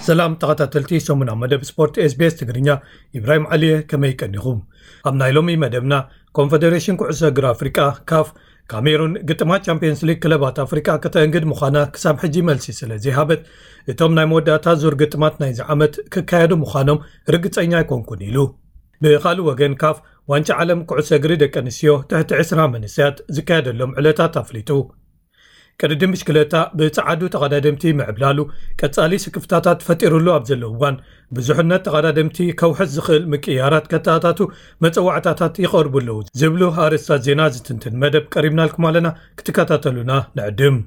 ሰላም ተኸታተልቲ ሰሙና መደብ ስፖርት SBS ትግርኛ፣ ኢብራሂም ዓሊየ፣ ከመይ ቀኒኹም? ኣብ ናይ ሎሚ መደብና፣ ኮንፈደሬሽን ኩዕሶ እግሪ ኣፍሪቃ፣ ካፍ፣ ካሜሩን ግጥማት ቻምፒየንስ ሊግ ክለባት ኣፍሪቃ ከተእንግድ ምዃና ክሳብ ሕጂ መልሲ ስለ ዘይሃበት፣ እቶም ናይ መወዳእታ ዙር ግጥማት ናይዚ ዓመት ክካየዱ ምዃኖም ርግጸኛ ኣይኮንኩን ኢሉ። ብኻልእ ወገን፣ ካፍ ዋንጫ ዓለም ኩዕሶ እግሪ ደቂ ኣንስትዮ ትሕቲ ዕስራ መንእሰያት ዝካየደሎም ዕለታት ኣፍሊጡ። ቅድድም ብሽክለታ ብጸዓዱ ተቐዳደምቲ ምዕብላሉ ቀጻሊ ስክፍታታት ፈጢሩሉ ኣብ ዘሎ እዋን፣ ብዙሕነት ተቐዳደምቲ ከውሕስ ዝኽእል ምቅያራት ከተኣታቱ መጸዋዕታታት ይቐርቡ ኣለዉ ዝብሉ ኣርእስታት ዜና ዝትንትን መደብ ቀሪብናልኩም ኣለና። ክትከታተሉና ንዕድም።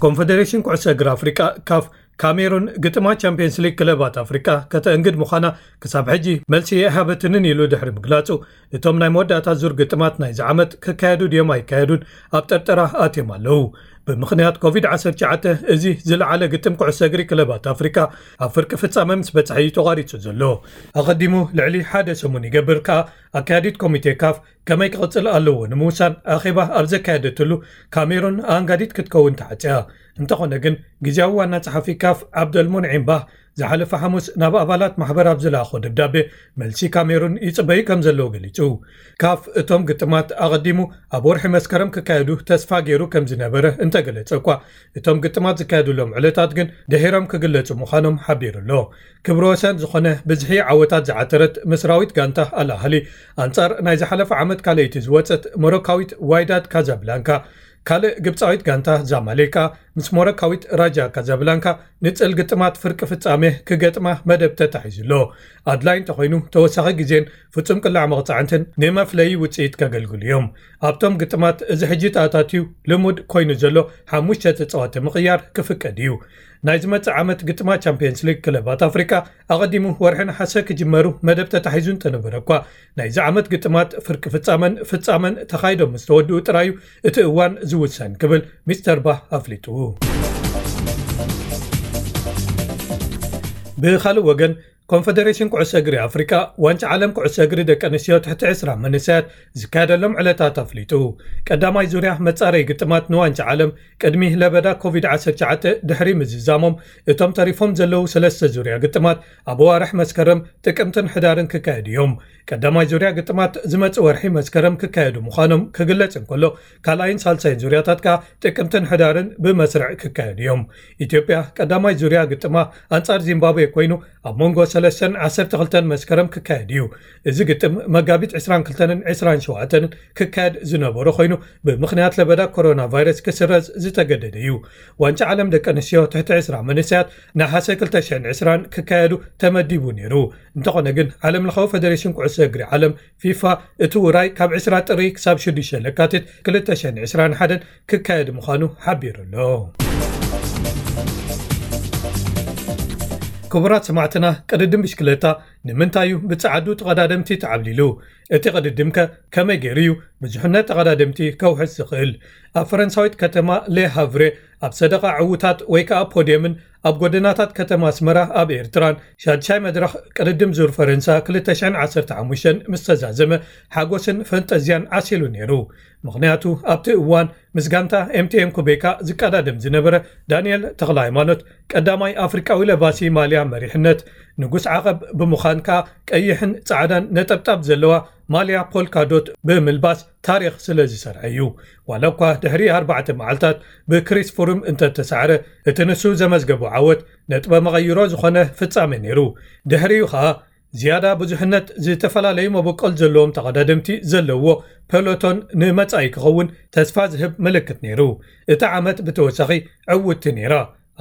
ኮንፈደሬሽን ኩዕሶ እግሪ ኣፍሪቃ፣ ካፍ፣ ካሜሩን ግጥማት ቻምፒየንስ ሊግ ክለባት ኣፍሪቃ ከተእንግድ ምዃና ክሳብ ሕጂ መልሲ ኣይሃበትንን ኢሉ ድሕሪ ምግላጹ፣ እቶም ናይ መወዳእታ ዙር ግጥማት ናይዚ ዓመት ክካየዱ ድዮም ኣይካየዱን ኣብ ጠርጠራ ኣትዮም ኣለዉ። ብምኽንያት ኮቪድ ዓሰርተ ትሽዓተ፣ እዚ ዝለዓለ ግጥም ኩዕሶ እግሪ ክለባት ኣፍሪቃ ኣብ ፍርቂ ፍጻመ ምስ በጽሐ እዩ ተቋሪጹ ዘሎ። ኣቐዲሙ ልዕሊ ሓደ ሰሙን ይገብር ከኣ ኣካያዲት ኮሚቴ ካፍ ከመይ ክቕጽል ኣለዎ ንምውሳን ኣኼባ ኣብ ዘካየደትሉ፣ ካሜሩን ኣንጋዲት ክትከውን ተዓጽያ። እንተኾነ ግን፣ ግዝያዊ ዋና ጸሓፊ ካፍ ዓብደልሙንዒም ባህ ዝሓለፈ ሓሙስ ናብ ኣባላት ማሕበር ኣብ ዝለኣኾ ደብዳቤ፣ መልሲ ካሜሩን ይጽበዩ ከም ዘለዉ ገሊጹ። ካፍ እቶም ግጥማት ኣቐዲሙ ኣብ ወርሒ መስከረም ክካየዱ ተስፋ ገይሩ ከም ዝነበረ እንተገለጸ እኳ፣ እቶም ግጥማት ዝካየዱሎም ዕለታት ግን ድሒሮም ክግለጹ ምዃኖም ሓቢሩ ኣሎ። ክብረ ወሰን ዝኾነ ብዝሒ ዓወታት ዝዓተረት ምስራዊት ጋንታ ኣል ኣህሊ፣ ኣንጻር ናይ ዝሓለፈ ዓመት ካልኣይቲ ዝወጸት ሞሮካዊት ዋይዳድ ካዛብላንካ፣ ካልእ ግብጻዊት ጋንታ ዛማሌካ ምስ ሞሮካዊት ራጃ ካዛብላንካ ንጽል ግጥማት ፍርቂ ፍጻሜ ክገጥማ መደብ ተታሒዙ ኣሎ። ኣድላይ እንተኾይኑ፣ ተወሳኺ ግዜን ፍጹም ቅላዕ መቕጻዕንትን ንመፍለዪ ውጽኢት ከገልግሉ እዮም። ኣብቶም ግጥማት፣ እዚ ሕጂ ተኣታትዩ ልሙድ ኮይኑ ዘሎ ሓሙሽተ ተጻወቲ ምቕያር ክፍቀድ እዩ። ናይ ዝመጽእ ዓመት ግጥማት ቻምፒየንስ ሊግ ክለባት ኣፍሪቃ ኣቐዲሙ ወርሒ ነሓሰ ክጅመሩ መደብ ተታሒዙ እንተነበረ እኳ፣ ናይዚ ዓመት ግጥማት ፍርቂ ፍጻመን ፍጻመን ተኻይዶም ምስ ተወድኡ ጥራዩ እቲ እዋን ዝውሰን ክብል ሚስተር ባህ ኣፍሊጡ። ብኻልእ ወገን፣ ኮንፈደሬሽን ኩዕሶ እግሪ ኣፍሪቃ ዋንጫ ዓለም ኩዕሶ እግሪ ደቂ ኣንስትዮ ትሕቲ ዕስራ መንእሰያት ዝካየደሎም ዕለታት ኣፍሊጡ። ቀዳማይ ዙርያ መጻረይ ግጥማት ንዋንጫ ዓለም ቅድሚ ለበዳ ኮቪድ ዓሰርተ ትሽዓተ ድሕሪ ምዝዛሞም፣ እቶም ተሪፎም ዘለዉ ሰለስተ ዙርያ ግጥማት ኣብ ኣዋርሕ መስከረም፣ ጥቅምትን ሕዳርን ክካየዱ እዮም። ቀዳማይ ዙርያ ግጥማት ዝመጽእ ወርሒ መስከረም ክካየዱ ምዃኖም ክግለጽ እንከሎ፣ ካልኣይን ሳልሳይን ዙርያታት ከኣ ጥቅምትን ሕዳርን ብመስርዕ ክካየዱ እዮም። ኢትዮጵያ ቀዳማይ ዙርያ ግጥማ ኣንጻር ዚምባብዌ ኮይኑ፣ ኣብ መንጎ ሰለስተን ዓሰርተ ክልተን መስከረም ክካየድ እዩ። እዚ ግጥም መጋቢት ዕስራን ክልተን ዕስራን ሸውዓተን ክካየድ ዝነበሮ ኮይኑ፣ ብምኽንያት ለበዳ ኮሮና ቫይረስ ክስረዝ ዝተገደደ እዩ። ዋንጫ ዓለም ደቂ ኣንስትዮ ትሕቲ ዕስራ መንእሰያት ነሓሰ ክልተ ሽሕን ዕስራን ክካየዱ ተመዲቡ ነይሩ። እንተኾነ ግን፣ ዓለም ለኻዊ ፈደሬሽን ኩዕሶ እግሪ ዓለም፣ ፊፋ፣ እቲ ውራይ ካብ ዕስራ ጥሪ ክሳብ ሽዱሽተ ለካቲት ክልተ ሽሕን ዕስራን ሓደን ክካየድ ምዃኑ ሓቢሩ ኣሎ። ክቡራት ሰማዕትና፣ ቅድድም ብሽክለታ ንምንታይ እዩ ብጸዓዱ ተቐዳደምቲ ተዓብሊሉ? እቲ ቅድድም ከ ከመይ ገይሩ እዩ ብዙሕነት ተቐዳደምቲ ከውሕስ ዝኽእል? ኣብ ፈረንሳዊት ከተማ ሌ ሃቭሬ ኣብ ሰደቓ ዕዉታት ወይ ከኣ ፖድየምን ኣብ ጎደናታት ከተማ ኣስመራ ኣብ ኤርትራን ሻድሻይ መድረኽ ቅድድም ዙር ፈረንሳ ክልተ ሽሕን ዓሰርተ ሓሙሽተን ምስ ተዛዘመ፣ ሓጎስን ፈንጠዝያን ዓሲሉ ነይሩ። ምኽንያቱ፣ ኣብቲ እዋን ምስ ጋንታ ኤምቲኤም ኩቤካ ዝቀዳደም ዝነበረ ዳንኤል ተኽለ ሃይማኖት፣ ቀዳማይ ኣፍሪቃዊ ለባሲ ማልያ መሪሕነት ንጉስ ዓቐብ ብምዃን ከኣ፣ ቀይሕን ጻዕዳን ነጠብጣብ ዘለዋ ማልያ ፖልካ ዶት ብምልባስ ታሪኽ ስለ ዝሰርዐ እዩ። ዋላ እኳ ድሕሪ ኣርባዕተ መዓልታት ብክሪስ ፍሩም እንተተሳዕረ፣ እቲ ንሱ ዘመዝገቦ ዓወት ነጥበ መቐይሮ ዝኾነ ፍጻሜ ነይሩ። ድሕሪኡ ኸኣ፣ ዝያዳ ብዙሕነት ዝተፈላለዩ መበቆል ዘለዎም ተቐዳደምቲ ዘለዎ ፐሎቶን ንመጻኢ ክኸውን ተስፋ ዝህብ ምልክት ነይሩ። እታ ዓመት ብተወሳኺ ዕውትቲ ነይራ።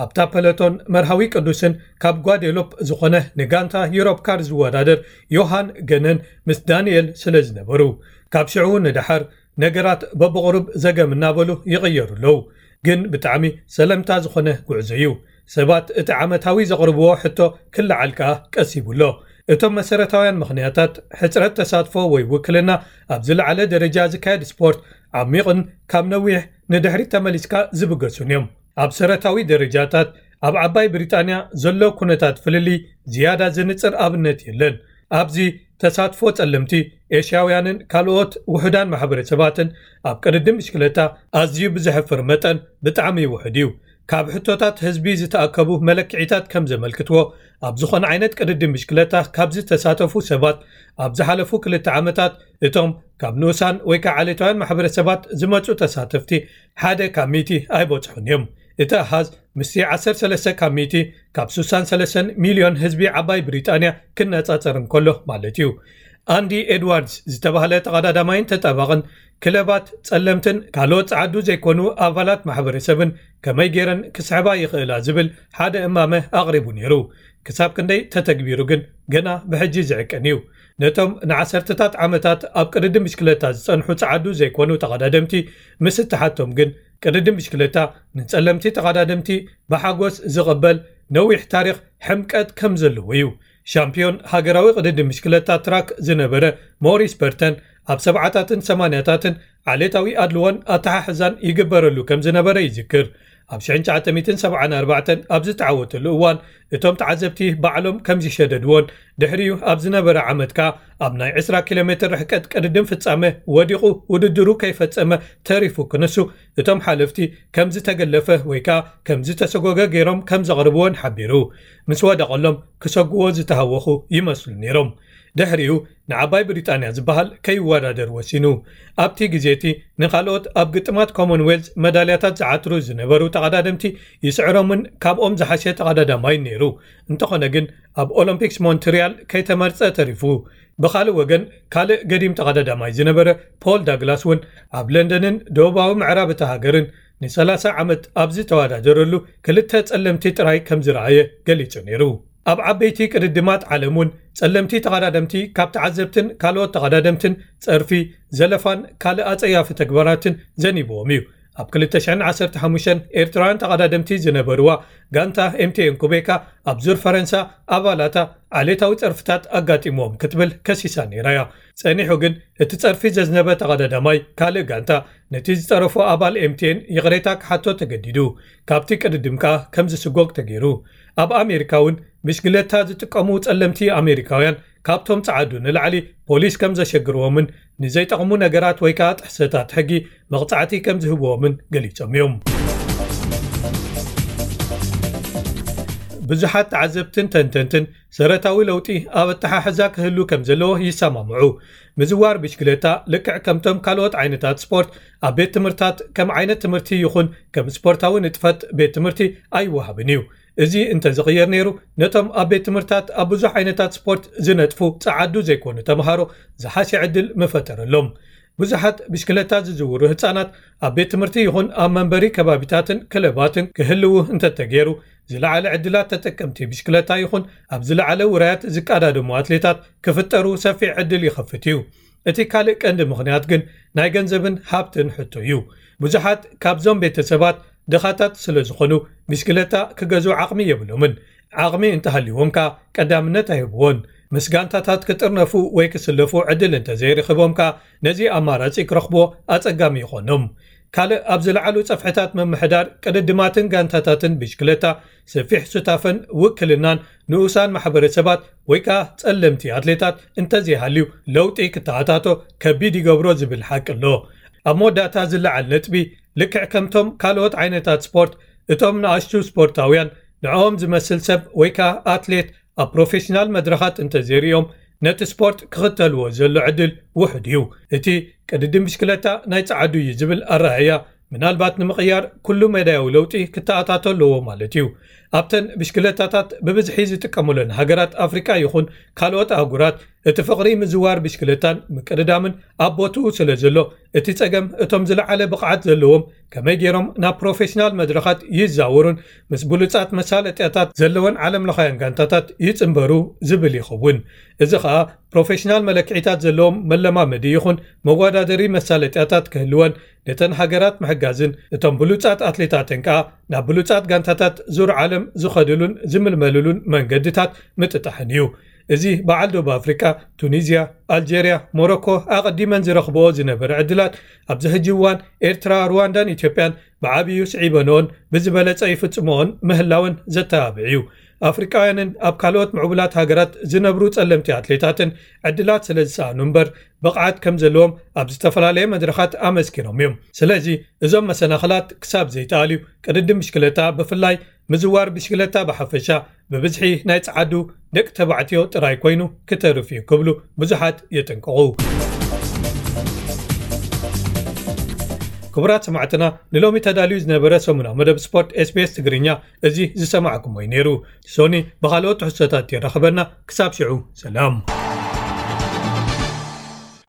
ኣብታ ፐሎቶን መርሃዊ ቅዱስን ካብ ጓዴሎፕ ዝኾነ ንጋንታ ዩሮፕ ካር ዝወዳደር ዮሃን ገነን ምስ ዳንኤል ስለ ዝነበሩ፣ ካብ ሽዑ ንደሓር ነገራት በብቕሩብ ዘገም እናበሉ ይቕየሩ ኣለዉ። ግን ብጣዕሚ ሰለምታ ዝኾነ ጉዕዞ እዩ። ሰባት እቲ ዓመታዊ ዘቕርብዎ ሕቶ ክለዓል ከኣ ቀሲቡ ኣሎ። እቶም መሰረታውያን ምኽንያታት፣ ሕጽረት ተሳትፎ ወይ ውክልና፣ ኣብ ዝለዓለ ደረጃ ዝካየድ ስፖርት፣ ዓሚቕን ካብ ነዊሕ ንድሕሪት ተመሊስካ ዝብገሱን እዮም። ኣብ ሰረታዊ ደረጃታት፣ ኣብ ዓባይ ብሪጣንያ ዘሎ ኩነታት ፍልልይ ዝያዳ ዝንጽር ኣብነት የለን። ኣብዚ ተሳትፎ ጸለምቲ፣ ኤሽያውያንን ካልኦት ውሑዳን ማሕበረሰባትን ኣብ ቅድድም ብሽክለታ ኣዝዩ ብዘሕፍር መጠን ብጣዕሚ ውሑድ እዩ። ካብ ሕቶታት ህዝቢ ዝተኣከቡ መለክዒታት ከም ዘመልክትዎ፣ ኣብ ዝኾነ ዓይነት ቅድድም ብሽክለታ ካብ ዝተሳተፉ ሰባት ኣብ ዝሓለፉ ክልተ ዓመታት፣ እቶም ካብ ንኡሳን ወይ ከዓ ዓሌታውያን ማሕበረሰባት ዝመፁ ተሳተፍቲ ሓደ ካብ ሚእቲ ኣይበፅሑን እዮም። እቲ ኣሃዝ ምስቲ ዓሰርተ ሰለስተ ካብ ሚእቲ ካብ ስሳን ሰለስተን ሚልዮን ህዝቢ ዓባይ ብሪጣንያ ክነፃፀር እንከሎ ማለት እዩ። ኣንዲ ኤድዋርድስ ዝተባህለ ተቐዳዳማይን ተጣባቕን፣ ክለባት፣ ጸለምትን ካልኦት ጸዓዱ ዘይኮኑ ኣባላት ማሕበረሰብን ከመይ ገይረን ክስሕባ ይኽእላ ዝብል ሓደ እማመ ኣቕሪቡ ነይሩ። ክሳብ ክንደይ ተተግቢሩ ግን ገና ብሕጂ ዝዕቀን እዩ። ነቶም ንዓሰርተታት ዓመታት ኣብ ቅድድም ብሽክለታ ዝጸንሑ ጸዓዱ ዘይኮኑ ተቐዳደምቲ ምስ እተሓቶም ግን፣ ቅድድም ብሽክለታ ንጸለምቲ ተቐዳደምቲ ብሓጎስ ዝቕበል ነዊሕ ታሪኽ ሕምቀት ከም ዘለዎ እዩ። ሻምፒዮን ሃገራዊ ቅድድም ብሽክለታ ትራክ ዝነበረ ሞሪስ በርተን፣ ኣብ ሰብዓታትን ሰማንያታትን ዓሌታዊ ኣድልዎን ኣተሓሕዛን ይግበረሉ ከም ዝነበረ ይዝክር። ኣብ ሽሕን ትሽዓተ ሚእትን ሰብዓን ኣርባዕተን ኣብ ዝተዓወተሉ እዋን፣ እቶም ተዓዘብቲ ባዕሎም ከም ዝሸደድዎን፣ ድሕሪኡ ኣብ ዝነበረ ዓመት ከኣ ኣብ ናይ ዕስራ ኪሎ ሜትር ርሕቀት ቅድድም ፍጻመ ወዲቑ ውድድሩ ከይፈጸመ ተሪፉ ክንሱ፣ እቶም ሓለፍቲ ከም ዝተገለፈ ወይ ከኣ ከም ዝተሰጎገ ገይሮም ከም ዘቕርብዎን ሓቢሩ። ምስ ወደቐሎም ክሰግዎ ዝተሃወኹ ይመስሉ ነይሮም። ድሕሪኡ ንዓባይ ብሪጣንያ ዝበሃል ከይወዳደር ወሲኑ። ኣብቲ ግዜ እቲ ንኻልኦት ኣብ ግጥማት ኮመንዌልዝ መዳልያታት ዝዓትሩ ዝነበሩ ተቐዳደምቲ ይስዕሮምን ካብኦም ዝሓሸ ተቐዳዳማይን ነይሩ። እንተኾነ ግን ኣብ ኦሎምፒክስ ሞንትሪያል ከይተመርጸ ተሪፉ። ብኻልእ ወገን ካልእ ገዲም ተቐዳዳማይ ዝነበረ ፖል ዳግላስ እውን ኣብ ለንደንን ደቡባዊ ምዕራብ እታ ሃገርን ንሰላሳ ዓመት ኣብ ዝተወዳደረሉ ክልተ ጸለምቲ ጥራይ ከም ዝረኣየ ገሊጹ ነይሩ። ኣብ ዓበይቲ ቅድድማት ዓለም እውን ጸለምቲ ተቐዳደምቲ ካብ ተዓዘብትን ካልኦት ተቐዳደምትን ጸርፊ፣ ዘለፋን ካልእ ኣጸያፊ ተግባራትን ዘኒብዎም እዩ። ኣብ ክልተ ሽሕን ዓሰርተ ሓሙሽተን ኤርትራውያን ተቐዳደምቲ ዝነበርዋ ጋንታ ኤምቲኤን ኩቤካ ኣብ ዙር ፈረንሳ ኣባላታ ዓሌታዊ ጸርፍታት ኣጋጢምዎም ክትብል ከሲሳ ነይራ እያ። ጸኒሑ ግን እቲ ጸርፊ ዘዝነበ ተቐዳዳማይ ካልእ ጋንታ ነቲ ዝጸረፎ ኣባል ኤምቲኤን ይቕሬታ ክሓቶ ተገዲዱ። ካብቲ ቅድድም ከኣ ከም ዝስጎግ ተገይሩ። ኣብ ኣሜሪካ እውን ብሽግለታ ዝጥቀሙ ጸለምቲ ኣሜሪካውያን ካብቶም ጸዓዱ ንላዕሊ ፖሊስ ከም ዘሸግርዎምን ንዘይጠቕሙ ነገራት ወይ ከኣ ጥሕሰታት ሕጊ መቕጻዕቲ ከም ዝህብዎምን ገሊጾም እዮም። ብዙሓት ተዓዘብትን ተንተንትን ሰረታዊ ለውጢ ኣብ ኣተሓሕዛ ክህሉ ከም ዘለዎ ይሰማምዑ። ምዝዋር ብሽክለታ ልክዕ ከምቶም ካልኦት ዓይነታት ስፖርት ኣብ ቤት ትምህርታት ከም ዓይነት ትምህርቲ ይኹን ከም ስፖርታዊ ንጥፈት ቤት ትምህርቲ ኣይወሃብን እዩ። እዚ እንተዝቕየር ነይሩ፣ ነቶም ኣብ ቤት ትምህርታት ኣብ ብዙሕ ዓይነታት ስፖርት ዝነጥፉ ጸዓዱ ዘይኮኑ ተምሃሮ ዝሓሸ ዕድል ምፈጠረሎም። ብዙሓት ብሽክለታ ዝዝውሩ ህጻናት ኣብ ቤት ትምህርቲ ይኹን ኣብ መንበሪ ከባቢታትን ክለባትን ክህልዉ እንተተገይሩ፣ ዝለዓለ ዕድላት ተጠቀምቲ ብሽክለታ ይኹን ኣብ ዝለዓለ ውራያት ዝቀዳደሙ ኣትሌታት ክፍጠሩ ሰፊሕ ዕድል ይኸፍት እዩ። እቲ ካልእ ቀንዲ ምኽንያት ግን ናይ ገንዘብን ሃብትን ሕቶ እዩ። ብዙሓት ካብዞም ቤተሰባት ድኻታት ስለ ዝኾኑ፣ ብሽክለታ ክገዝኡ ዓቕሚ የብሎምን። ዓቕሚ እንተሃልይዎም ከኣ ቀዳምነት ኣይህብዎን። ምስ ጋንታታት ክጥርነፉ ወይ ክስለፉ ዕድል እንተዘይረኺቦም ከኣ ነዚ ኣማራጺ ክረኽብዎ ኣጸጋሚ ይኾኖም። ካልእ ኣብ ዝለዓሉ ጸፍሕታት ምምሕዳር ቅድድማትን ጋንታታትን ብሽክለታ ሰፊሕ ሱታፈን ውክልናን ንኡሳን ማሕበረሰባት ወይ ከኣ ጸለምቲ ኣትሌታት እንተዘይሃልዩ ለውጢ ክተኣታቶ ከቢድ ይገብሮ ዝብል ሓቂ ኣሎ። ኣብ መወዳእታ ዝለዓል ነጥቢ፣ ልክዕ ከምቶም ካልኦት ዓይነታት ስፖርት፣ እቶም ንኣሽቱ ስፖርታውያን ንዕኦም ዝመስል ሰብ ወይ ከኣ ኣትሌት ኣብ ፕሮፌሽናል መድረኻት እንተዘይርእዮም ነቲ ስፖርት ክኽተልዎ ዘሎ ዕድል ውሑድ እዩ። እቲ ቅድድም ብሽክለታ ናይ ጸዓዱ እዩ ዝብል ኣረኣእያ ምናልባት ንምቕያር ኩሉ መዳያዊ ለውጢ ክተኣታቶ ኣለዎ ማለት እዩ። ኣብተን ብሽክለታታት ብብዝሒ ዝጥቀሙለን ሃገራት ኣፍሪቃ ይኹን ካልኦት ኣህጉራት እቲ ፍቕሪ ምዝዋር ብሽክለታን ምቅድዳምን ኣብ ቦትኡ ስለ ዘሎ፣ እቲ ጸገም እቶም ዝለዓለ ብቕዓት ዘለዎም ከመይ ገይሮም ናብ ፕሮፌሽናል መድረኻት ይዛወሩን ምስ ብሉጻት መሳለጥያታት ዘለወን ዓለምለኻውያን ጋንታታት ይጽንበሩ ዝብል ይኸውን። እዚ ኸኣ ፕሮፌሽናል መለክዒታት ዘለዎም መለማመዲ ይኹን መወዳደሪ መሳለጥያታት ክህልወን፣ ነተን ሃገራት ምሕጋዝን እቶም ብሉጻት ኣትሌታተን ከኣ ናብ ብሉጻት ጋንታታት ዙር ዓለም ዝኸድሉን ዝምልመልሉን መንገድታት ምጥጣሕን እዩ። እዚ በዓል ደቡብ ኣፍሪቃ፣ ቱኒዝያ፣ ኣልጀርያ፣ ሞሮኮ ኣቐዲመን ዝረኽብኦ ዝነበረ ዕድላት ኣብዚ ሕጂ እዋን ኤርትራ፣ ሩዋንዳን ኢትዮጵያን ብዓብዩ ስዒበንኦን ብዝበለጸ ይፍጽምኦን ምህላወን ዘተባብዕ እዩ። ኣፍሪቃውያንን ኣብ ካልኦት ምዕቡላት ሃገራት ዝነብሩ ጸለምቲ ኣትሌታትን ዕድላት ስለ ዝሰኣኑ እምበር፣ ብቕዓት ከም ዘለዎም ኣብ ዝተፈላለየ መድረኻት ኣመስኪሮም እዮም። ስለዚ እዞም መሰናኽላት ክሳብ ዘይተኣልዩ፣ ቅድድም ብሽክለታ ብፍላይ፣ ምዝዋር ብሽክለታ ብሓፈሻ፣ ብብዝሒ ናይ ጸዓዱ ደቂ ተባዕትዮ ጥራይ ኮይኑ ክተርፍ እዩ ክብሉ ብዙሓት የጠንቅቑ። ክቡራት ሰማዕትና፣ ንሎሚ ተዳልዩ ዝነበረ ሰሙናዊ መደብ ስፖርት SBS ትግርኛ እዚ ዝሰማዕኩሞ እዩ ነይሩ። ሶኒ ብኻልኦት ትሕዝቶታት የራኽበና። ክሳብ ሽዑ ሰላም።